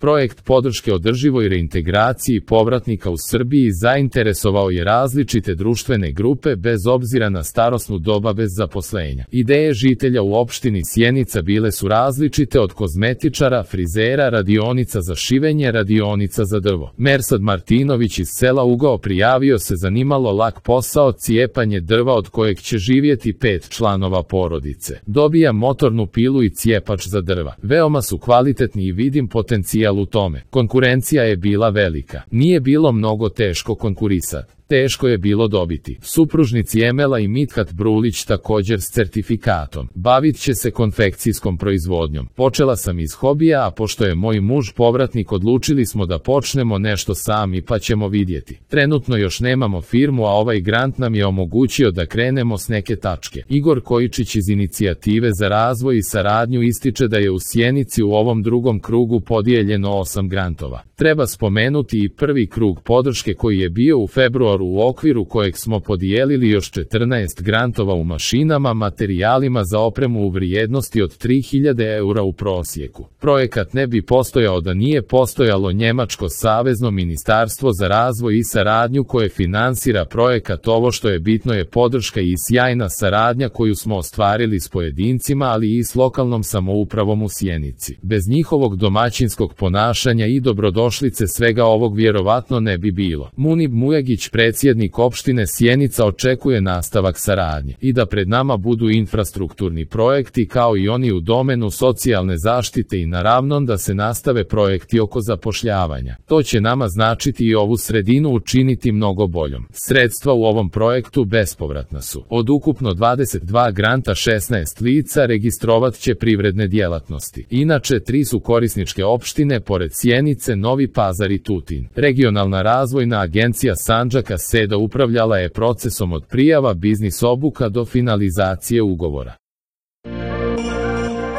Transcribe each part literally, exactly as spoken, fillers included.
Projekt podrške održivoj reintegraciji povratnika u Srbiji zainteresovao je različite društvene grupe bez obzira na starosnu doba bez zaposlenja. Ideje žitelja u opštini Sjenica bile su različite od kozmetičara, frizera, radionica za šivenje, radionica za drvo. Mersad Martinović iz sela Ugao prijavio se zanimalo lak posao cijepanje drva od kojeg će živjeti pet članova porodice. Dobija motornu pilu i cijepač za drva. Veoma su kvalitetni i vidim potencijal u tome. Konkurencija je bila velika. Nije bilo mnogo teško konkurisati. Teško je bilo dobiti. Supružnici Emela i Mithat Brulić također s certifikatom. Bavit će se konfekcijskom proizvodnjom. Počela sam iz hobija, a pošto je moj muž povratnik odlučili smo da počnemo nešto sami pa ćemo vidjeti. Trenutno još nemamo firmu, a ovaj grant nam je omogućio da krenemo s neke tačke. Igor Kojičić iz Inicijative za razvoj i saradnju ističe da je u Sjenici u ovom drugom krugu podijeljeno osam grantova. Treba spomenuti i prvi krug podrške koji je bio u februaru u okviru kojeg smo podijelili još četrnaest grantova u mašinama, materijalima za opremu u vrijednosti od tri hiljade eura u prosjeku. Projekat ne bi postojao da nije postojalo Njemačko savezno ministarstvo za razvoj i saradnju koje finansira projekat. Ovo što je bitno je podrška i sjajna saradnja koju smo ostvarili s pojedincima, ali i s lokalnom samoupravom u Sjenici. Bez njihovog domaćinskog ponašanja i dobrodošlice svega ovog vjerovatno ne bi bilo. Munib Mujagić, predsjednik opštine Sjenica, očekuje nastavak saradnje i da pred nama budu infrastrukturni projekti kao i oni u domenu socijalne zaštite i naravno da se nastave projekti oko zapošljavanja. To će nama značiti i ovu sredinu učiniti mnogo boljom. Sredstva u ovom projektu bespovratna su. Od ukupno dvadeset dva granta šesnaest lica registrovat će privredne djelatnosti. Inače, tri su korisničke opštine pored Sjenice, Novi Pazar i Tutin. Regionalna razvojna agencija Sandžaka SEDA upravljala je procesom od prijava biznis obuka do finalizacije ugovora.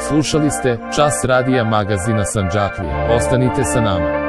Slušali ste Čas radija magazina Sandžaklije. Ostanite sa nama.